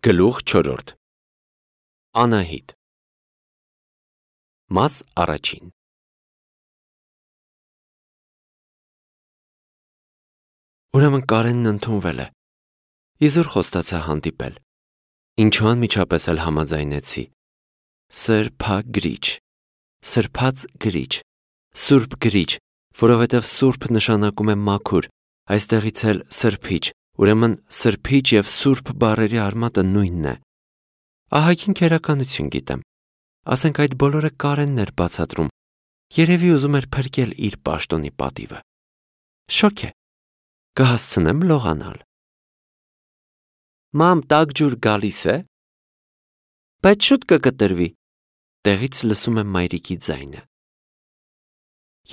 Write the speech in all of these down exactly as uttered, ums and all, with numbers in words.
Գլուխ չորրորդ Անահիտ Մաս առաջին Ուրեմն Կարենն ընդունվել է։ Իզուր խոստացա հանդիպել։ Ինչու անմիջապես էլ համաձայնեցի։ Սրբա գրիչ, սրբած գրիչ, սուրբ գրիչ, որովհետև սուրբ նշանակում է մաքուր, այստեղից էլ սրբիչ, ուրեմն սրբիչ և սուրբ բառերի արմատը նույնն է։ Ահագին քերականություն գիտեմ։ Ասենք այդ բոլորը Կարենն էր բացատրում, երևի ուզում էր փրկել իր պաշտոնի պատիվը։ Շոկ է, կհասցնեմ լողանալ։ Մամ, տաք ջուր գալիս է։ Բայց շուտ կկտրվի։ Տեղից լսում եմ մայրիկի ձայնը։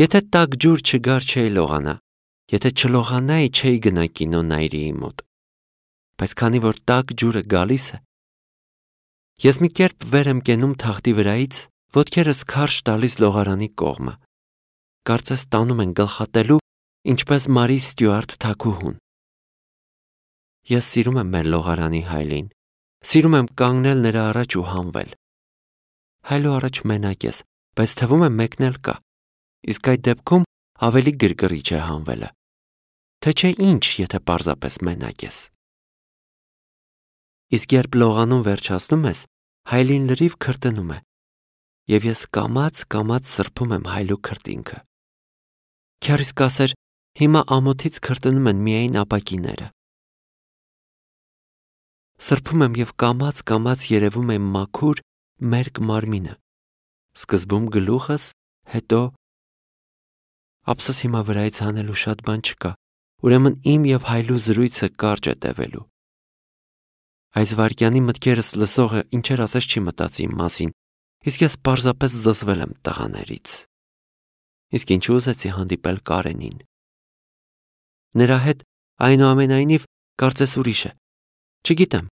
Եթե տաք ջուր չգար չէի լողանա, եթե չլողանայի չէի գնա կինո Նայիրիի մոտ։ Բայց քանի որ տաք ջուրը գալիս է, ես մի կերպ վեր եմ կենում թախտի վրայից, ոտքերս քարշ տալիս լողարանի կողմը։ Կարծես տանում են գլխատելու, ինչպես Մարի Ստյուարտ թագուհուն։ Ես սիրում եմ մեր լողարանի Հայլին, սիրում եմ կանգնել նրա առաջ ու հանվել։ Հայլու առաջ մենակ ես, բայց թվում է մեկն էլ կա, իսկ այդ դեպքում ավելի գրգռիչ է հանվելը, թե չէ ինչ, եթե պարզապես մենակ ես։ Իսկ երբ լողանում վերջացնում ես, Հայլին լրիվ քրտնում է, և ես կամաց-կամաց սրբում եմ Հայլու քրտինքը։ Քյարիս կասեր, հիմա ամոթից քրտնում են միայն ապակիները։ Սրբում եմ և կամաց-կամաց երևում է մաքուր, մերկ մարմինը, սկզբում գլուխս, հետո… Ափսոս հիմա վրայից հանելու շատ բան չկա, ուրեմն իմ և Հայլու զրույցը կարճ է տևելու։ Այս վայրկյանի մտքերս լսողը ինչեր ասես չի մտածի իմ մասին, իսկ ես պարզապես զզվել եմ տղաներից։ Իսկ ինչու ուզեցի հանդիպել Կարենին։ Նրա հետ այնուամենայնիվ կարծես ուրիշ է։ Չգիտեմ,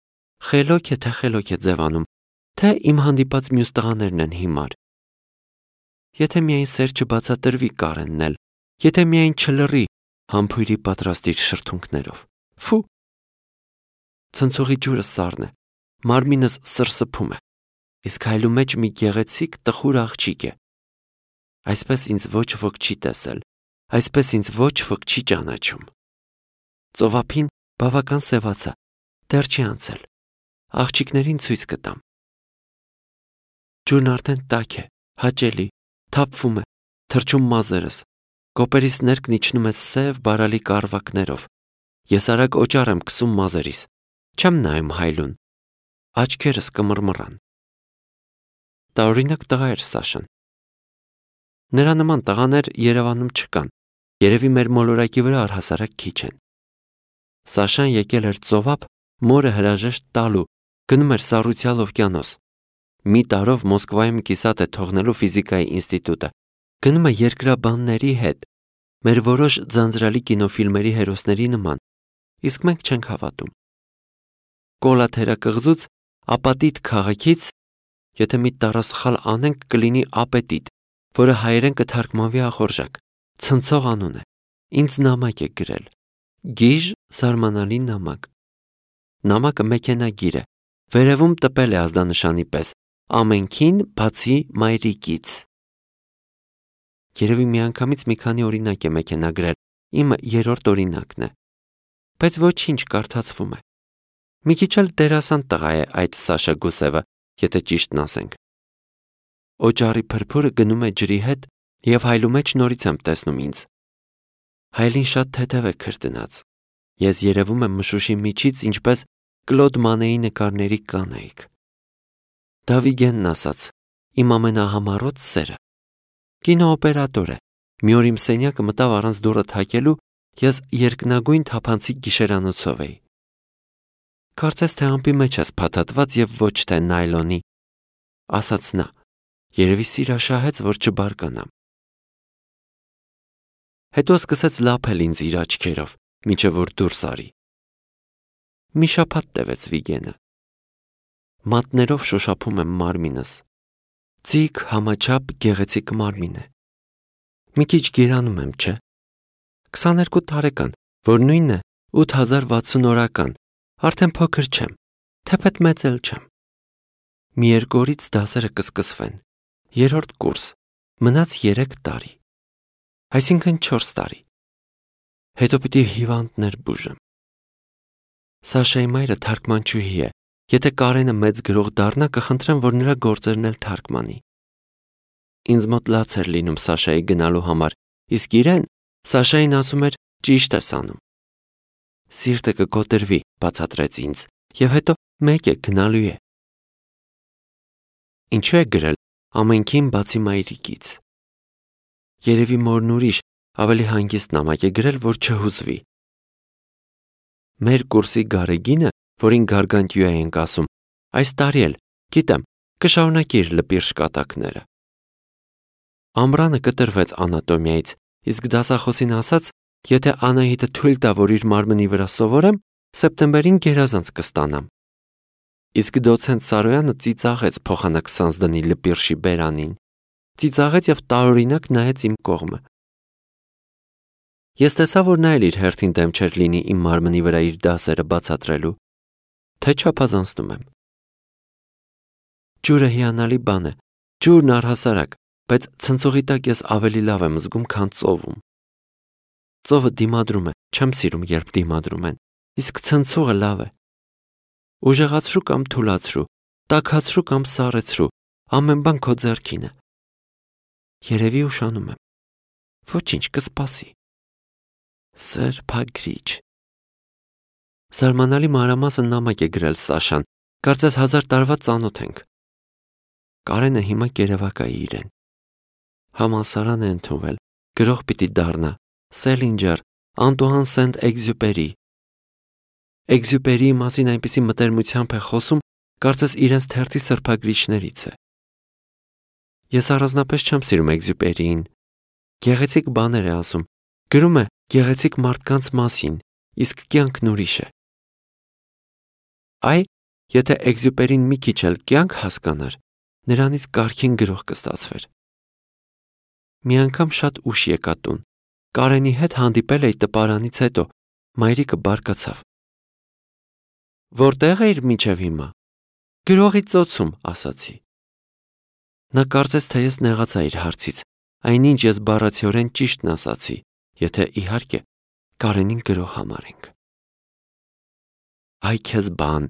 խելոք է, թե խելոք է ձևանում, թե իմ հանդիպած մյուս տղաներն են հիմար։ Եթե միայն սեր չբացատրվի Կարենն էլ, եթե միայն չլռի համբույրի պատրաստիր շրթունքներով։ Ֆու։ Ցնցողի ջուրը սառն է, մարմինս սրսփում է, իսկ Հայլու մեջ մի գեղեցիկ տխուր աղջիկ է։ Այսպես ինձ ոչ ոք չի տեսել, այսպես ինձ ոչ ոք չի ճանաչում։ Ծովափին բավական սևացա, դեռ չի անցել, աղջիկներին ցույց կտամ։ Ջուրն արդեն տաք է, հաճելի, թափվում է, թրջում մազերս, կոպերիս ներքն իջնում է սև բարալի կառվակներով։ Ես արագ օճառ եմ քսում մազերիս, չեմ նայում Հայլուն, աչքերս կմռմռան։ Տարօրինակ տղա էր Սաշան։ Նրա նման տղաներ Երևանում չկան, երևի մեր մոլորակի վրա առհասարակ քիչ են։ Սաշան եկել էր ծովափ մորը հրաժեշտ տալու, գնում էր Սառույցյալ օվկիանոս։ Մի տարով Մոսկվայում կիսատ է թողնելու ֆիզիկայի ինստիտուտը, գնում է երկրաբանների հետ, մեր որոշ ձանձրալի կինոֆիլմերի հերոսների նման, իսկ մենք չենք հավատում։ Կոլա թերակղզուց, ապատիտ քաղաքից, եթե մի տառասխալ անենք կլինի ապետիտ, որը հայերեն կթարգմանվի ախորժակ, ցնցող անուն է, ինձ նամակ է գրել, գիժ զարմանալի նամակ։ Նամակը մեքենագիր է, վերևում տպել է ազդանշանի պես, ամենքին բացի մայրիկից։ Երևի միանգամից մի քանի օրինակ է մեքենագրել, իմը երրորդ օրինակն է, բայց ոչինչ կարդացվում է։ Մի քիչ էլ դերասան տղա է այդ Սաշա Գուսևը, եթե ճիշտն ասենք։ Օճառի փրփուրը գնում է ջրի հետ և Հայլու մեջ նորից եմ տեսնում ինձ։ Հայլին շատ թեթև է քրտնած։ Ես երևում եմ մշուշի միջից, ինչպես Կլոդ Մանեի նկարների կանայք։ Դա Վիգենն ասաց, իմ ամենահամառոտ սերը։ Կինոօպերատոր է, մի օր իմ սենյակը մտավ առանց դուռը թակելու, ես երկնագույն թափանցիկ գիշերանոցով էի։ Կարծես թե ամպի մեջ ես փաթաթված և ոչ թե նայլոնի, ասաց նա, երևի սիրաշահեց, որ չբարկանամ։ Հետո սկսեց լափել ինձ իր աչքերով, մինչև որ դուրս արի։ Մի շաբաթ տևեց Վիգենը։ Մատներով շոշափում եմ մարմինս։ Ձիգ համաչափ գեղեցիկ մարմին է։ Մի քիչ գերանում եմ, չէ։ քսաներկու տարեկան, որ նույնն է ութ հազար վաթսուն օրական, արդեն փոքր չեմ, թեպետ մեծ էլ չեմ։ Մի երկու օրից դասերը կսկսվեն։ Երրորդ կուրս, մնաց երեք տարի, այսինքն չորս տարի։ Հետո պիտի հիվանդներ բուժեմ։ Սաշայի մայրը թարգմանչուհի է, եթե Կարենը մեծ գրող դառնա, կխնդրեմ, որ նրա գործերն էլ թարգմանի։ Ինձ մոտ լաց էր լինում Սաշայի գնալու համար, իսկ իրեն Սաշային ասում էր ճիշտ ես անում։ Սիրտը կկոտրվի, բացատրեց ինձ, եւ հետո մեկ է գնալու է։ Ինչու է գրել ամենքին բացի մայրիկից։ Երևի մորն ուրիշ ավելի հանգիստ նամակ է գրել, որ չհուզվի։ Մեր կուրսի Գարեգինը, որին Գարգանտյուա ենք ասում, այս տարի էլ, գիտեմ, կշարունակի իր լպիրշ կատակները։ Ամռանը կտրվեց անատոմիայից, իսկ դասախոսին ասաց, եթե Անահիտը թույլ տա, որ իր մարմնի վրա սովորեմ, սեպտեմբերին գերազանց կստանամ։ Իսկ դոցենտ Սարոյանը ծիծաղեց փոխանակ Սանձդանի լպիրշի բերանին, ծիծաղեց եւ տարօրինակ նայեց իմ կողմը։ Ես տեսա, որ նա էլ իր հերթին դեմ չէր լինի իմ մարմնի վրա իր դասերը բացատրելու, թե չափազանցնում եմ։ Ջուրը հիանալի բան է, ջուրն առհասարակ, բայց ցնցողի տակ ես ավելի լավ եմ զգում, քան ծովում։ Ծովը դիմադրում է, չեմ սիրում, երբ դիմադրում են, իսկ ցնցողը լավ է։ Ուժեղացրու կամ թուլացրու, տաքացրու կամ սառեցրու, ամեն բան քո ձեռքին է։ Երևի ուշանում եմ։ Ոչինչ, կսպասի։ Սրբագրիչ։ Զարմանալի մանրամասն նամակ է գրել Սաշան, կարծես հազար տարվա ծանոթ ենք։ Կարենը հիմա կերևակայի իրեն։ Համալսարան է ընդունվել, գրող պիտի դառնա, Սելինջեր, Անտուան Սենտ-Էքզյուպերի։ Էքզյուպերիի մասին այնպիսի մտերմությամբ է խոսում, կարծես իրենց թերթի սրբագրիչներից է։ Ես առանձնապես չեմ սիրում Էքզյուպերիին։ Գեղեցիկ բաներ է ասում, գրում է գեղեցիկ մարդկանց մասին, իսկ կյանքն ուրիշ է։ Այ, եթե Էքզյուպերին մի քիչ էլ կյանք հասկանար, նրանից կարգին գրող կստացվեր։ Մի անգամ շատ ուշ եկա տուն, Կարենի հետ հանդիպել էի տպարանից հետո, մայրիկը բարկացավ։ Որտեղ էիր մինչև հիմա։ Գրողի ծոցում, ասացի։ Նա կարծես թե ես նեղացա իր հարցից, այնինչ ես բառացիորեն ճիշտն ասացի, եթե իհարկե Կարենին գրող համարենք։ Այ քեզ բան,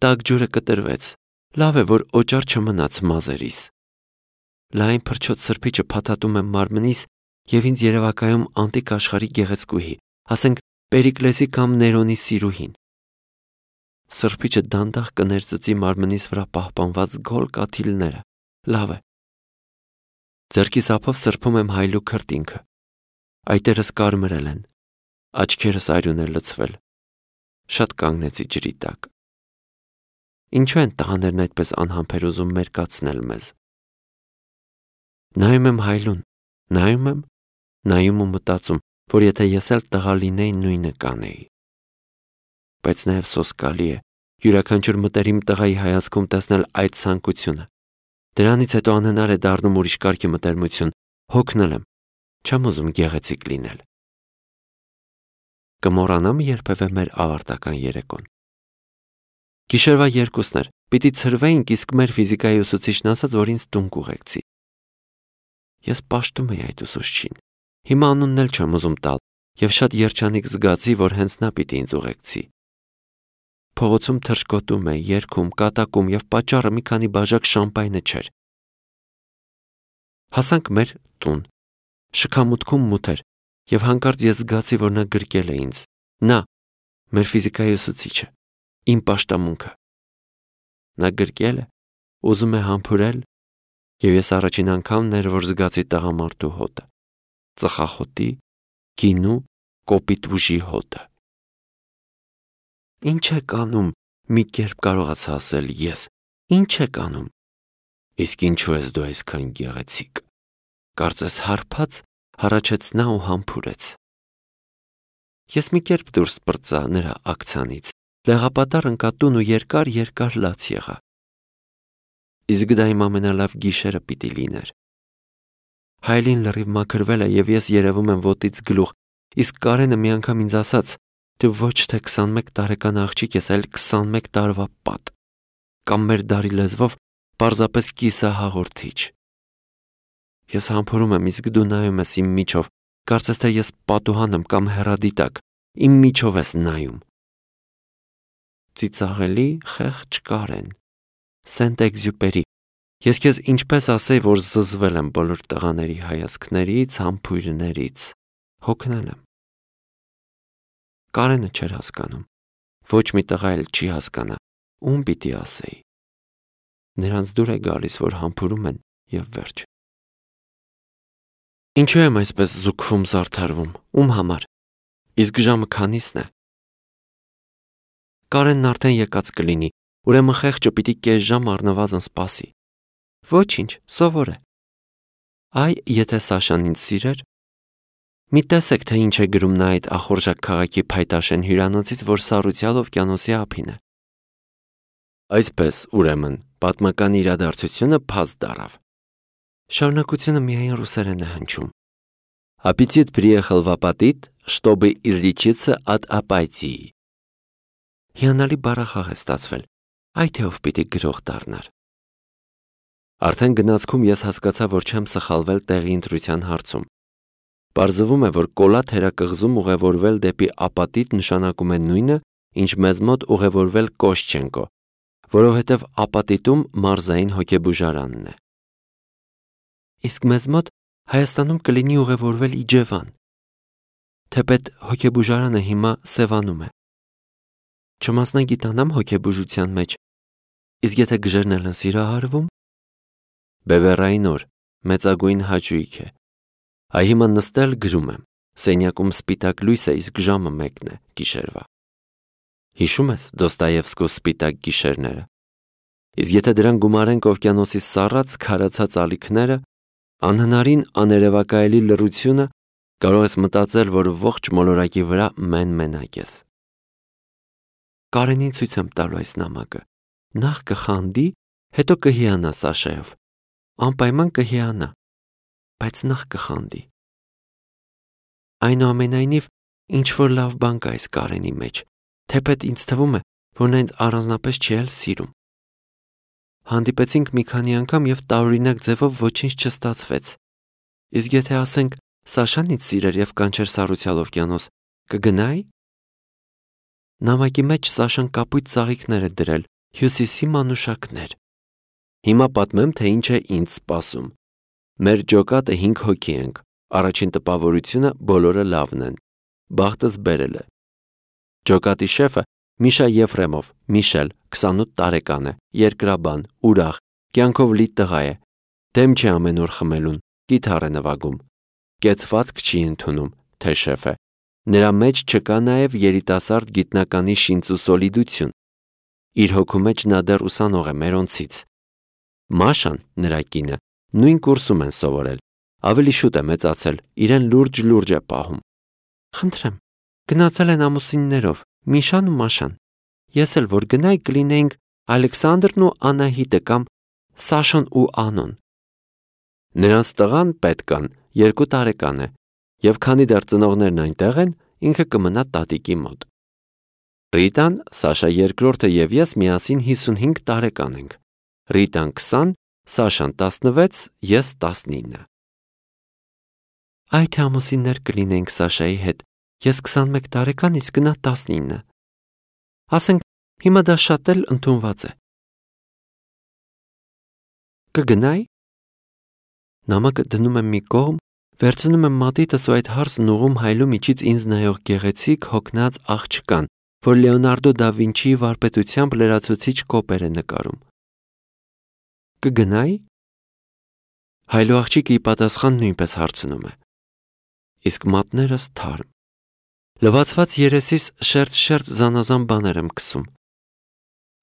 տաք ջուրը կտրվեց, լավ է, որ օճառ չմնաց մազերիս։ Լայն փրչոտ սրբիչը փաթաթում եմ մարմնիս եւ ինձ երևակայում անտիկ աշխարհի գեղեցկուհի, ասենք Պերիկլեսի կամ Ներոնի սիրուհին։ Սրբիչը դանդաղ կներծծի մարմնիս վրա պահպանված գոլ կաթիլները, լավ է։ Ձեռքիս ափով սրբում եմ հայլու քրտինքը, այտերս կարմրել են, աչքերս արյուն է լցվել, շատ կանգնեցի ջրի տակ։ Ինչու են տղաներն այդպես անհամբեր ուզում մերկացնել մեզ։ Նայում եմ հայլուն, նայում եմ, նայում ու մտածում, որ եթե ես էլ տղա լինեի, նույնը կանեի։ Բայց նաև սոսկալի է յուրաքանչյուր մտերիմ տղայի հայացքում տեսնել այդ ցանկությունը։ Դրանից հետո անհնար է դառնում ուրիշ կարգի մտերմություն, հոգնել եմ, չեմ ուզում գեղեցիկ լինել։ Կմոռանամ երբևէ մեր ավարտական երեկոն։ Գիշերվա երկուսն էր, պիտի ցրվեինք, իսկ մեր ֆիզիկայի ուսուցիչն ասաց, որ ինձ տուն կուղեկցի։ Ես պաշտում էի այդ ուսուցչին։ Հիմա անունն էլ չեմ ուզում տալ, եւ շատ երջանիկ զգացի, որ հենց նա պիտի ինձ ուղեկցի։ Փողոցում թռչկոտում է, երգում, կատակում եւ պատճառը մի քանի բաժակ շամպայնը չէր։ Հասանք մեր տուն։ Շքամուտքում մութ էր եւ հանկարծ ես զգացի, որ նա գրկել է ինձ։ Նա, մեր ֆիզիկայի ուսուցիչը, իմ պաշտամունքը։ Նա գրկել է, ուզում է համբուրել, եւ ես առաջին անգամն էր, որ զգացի տղամարդու հոտը, ծխախոտի, գինու, կոպիտ ուժի հոտը։ Ինչ եք անում, մի կերպ կարողացա ասել ես, ինչ եք անում։ Իսկ ինչու ես դու այսքան գեղեցիկ։ Կարծես հարբած հառաչեց նա ու համբուրեց։ Ես մի կերպ դուրս պրծա նրա ակցանից, լեղապատառ ընկա տուն ու երկար երկար լաց եղա։ Իսկ դա իմ ամենալավ գիշերը պիտի լիներ։ Հայլին լրիվ մաքրվել է եւ ես երևում եմ ոտից գլուխ, իսկ Կարենը մի անգամ ինձ ասաց. դու ոչ թե քսանմեկ տարեկան աղջիկ ես, այլ քսանմեկ տարվա պատ։ կամ մեր դարի լեզվով պարզապես կիսահաղորդիչ։ Ես համբուրում եմ, իսկ դու նայում ես իմ միջով, կարծես թե ես պատուհան եմ կամ հեռադիտակ, իմ միջով ես նայում։ Ծիծաղելի խեղճ Կարեն, Սենտ-Էքզյուպերի, ես քեզ ինչպես ասեի, որ զզվել եմ բոլոր տղաների հայացքներից, համբույրներից, հոգնել եմ։ Կարենը չէր հասկանում, ոչ մի տղա էլ չի հասկանա, ում պիտի ասեի։ Նրանց դուր է գալիս, որ համբուրում են և վերջ։ Ինչու եմ այսպես զուգվում զարդարվում, ում համար, իսկ ժամը քանիսն է։ Կարենն արդեն եկած կլինի, ուրեմն խեղճը պիտի կես ժամ առնվազն սպասի։ Ոչինչ, սովոր է։ Այ, եթե Սաշան ինձ սիրեր, մի տեսեք, թե ինչ է գրում նա այդ ախորժակ քաղաքի փայտաշեն հյուրանոցից, որ սառույցյալ օվկիանոսի ափին է։ Այսպես, ուրեմն, պատմական իրադարձությունը փաստ դառավ։ Շարունակությունը միայն ռուսերեն է հնչում։ Аппетит приехал в апатит, чтобы излечиться от апатии։ Հիանալի բառախաղ է ստացվել, այ թե ով պիտի գրող դառնար։ Արդեն գնացքում ես հասկացա, որ չեմ սխալվել տեղի ընտրության հարցում։ Պարզվում է, որ կոլա թերակղզում ուղևորվել դեպի ապատիտ նշանակում է նույնը, ինչ մեզ մոտ ուղևորվել Կոշչենկո, որովհետև ապատիտում մարզային հոգեբուժարանն է։ Իսկ մեզ մոտ Հայաստանում կլինի ուղևորվել Իջևան, թեպետ հոգեբուժարանը հիմա Սևանում է։ Չմասնագիտանամ հոգեբուժության մեջ, իսկ եթե գժերն են սիրահարվում, Բևեռային օր, մեծագույն հաճույք է։ Այ հիմա նստել գրում եմ, սենյակում սպիտակ լույս է, իսկ ժամը մեկն է գիշերվա։ Հիշում ես Դոստոևսկու սպիտակ գիշերները։ Իսկ եթե դրան գումարենք օվկիանոսի սառած քարացած ալիքները, անհնարին աներևակայելի լռությունը, կարող ես մտածել, որ ողջ մոլորակի վրա մեն-մենակ ես։ Կարենին ցույց եմ տալու այս նամակը։ Նախ կխանդի, հետո կհիանա Սաշայով։ Անպայման կհիանա, բայց նախ կխանդի։ Այնուամենայնիվ, ինչ-որ լավ բան կա այս Կարենի մեջ, թեպետ ինձ թվում է, որ նա ինձ առանձնապես չի էլ սիրում։ Հանդիպեցինք մի քանի անգամ և տարօրինակ ձևով ոչինչ չստացվեց։ Իսկ եթե ասենք Սաշան ինձ սիրեր և կանչեր սառույցյալ օվկիանոս, կգնայի։ Նամակի մեջ Սաշան կապույտ ծաղիկներ է դրել, հյուսիսի մանուշակներ։ Հիմա պատմեմ, թե ինչ է ինձ սպասում։ Մեր ջոկատը հինգ հոգի ենք, առաջին տպավորությունը բոլորը լավն են, բախտս բերել է։ Ջոկատի շեֆը Միշա Եֆրեմով, Միշել, քսանութ տարեկան է, երկրաբան, ուրախ, կյանքով լի տղա է, դեմ չի ամեն օր խմելուն, կիթառ է նվագում, կեցվածք չի ընդունում, թե շեֆ է։ Նրա մեջ չկա նաև երիտասարդ գիտնականի շինծուսոլիդություն։ Իր հոգու մեջ նա դեռ ուսանող է մերոնցից։ Մաշան, նրա կինը, նույն կուրսում են սովորել, ավելի շուտ է մեծացել, իրեն լուրջ-լուրջ է պահում։ Խնդրեմ, գնացել են ամուսիններով, Միշան ու Մաշան։ Ես էլ որ գնայի կլինեինք Ալեքսանդրն ու Անահիտը կամ Սաշան ու Անոն։ Նրանց տղան պետքան երկու տարեկան է, և քանի դեռ ծնողներն այնտեղ են, ինքը կմնա տատիկի մոտ։ Ռիտան, Սաշա երկրորդը և ես միասին հիսունհինգ տարեկան ենք։ Ռիտան քսան, Սաշան տասնվեց, ես տասնինը։ Այ թե ամուսիններ կլինեինք Սաշայի հետ, ես քսանմեկ տարեկան, իսկ նա տասնինը։ Ասենք, հիմա դա շատ էլ ընդունված է։ Կգնայի։ Նամակը դնում եմ մի կողմ, վերցնում եմ մատիտս ու այդ հարսն ուղում հայլու միջից ինձ նայող գեղեցիկ հոգնած աղջկան, որ Լեոնարդո դա Վինչիի վարպետությամբ լրացուցիչ կոպեր է նկարում։ Կգնայի։ Հայլու աղջիկը ի պատասխան նույնպես հարցնում է։ Իսկ մատներս թարմ։ Լվացված երեսիս շերտ-շերտ զանազան բաներ եմ քսում։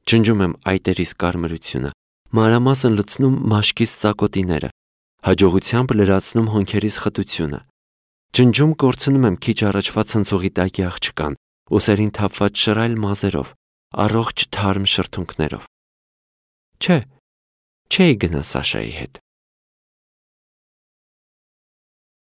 Ջնջում եմ այտերիս կարմրությունը, մանրամասն լցնում մաշկիս ծակոտիները, հաջողությամբ լրացնում հոնքերիս խտությունը։ Ջնջում կորցնում եմ քիչ առաջվա ցնցողի տակի աղջկան, ուսերին թափված շռայլ մազերով, առողջ թարմ շրթունքներով։ Չէ, չէի գնա Սաշայի հետ։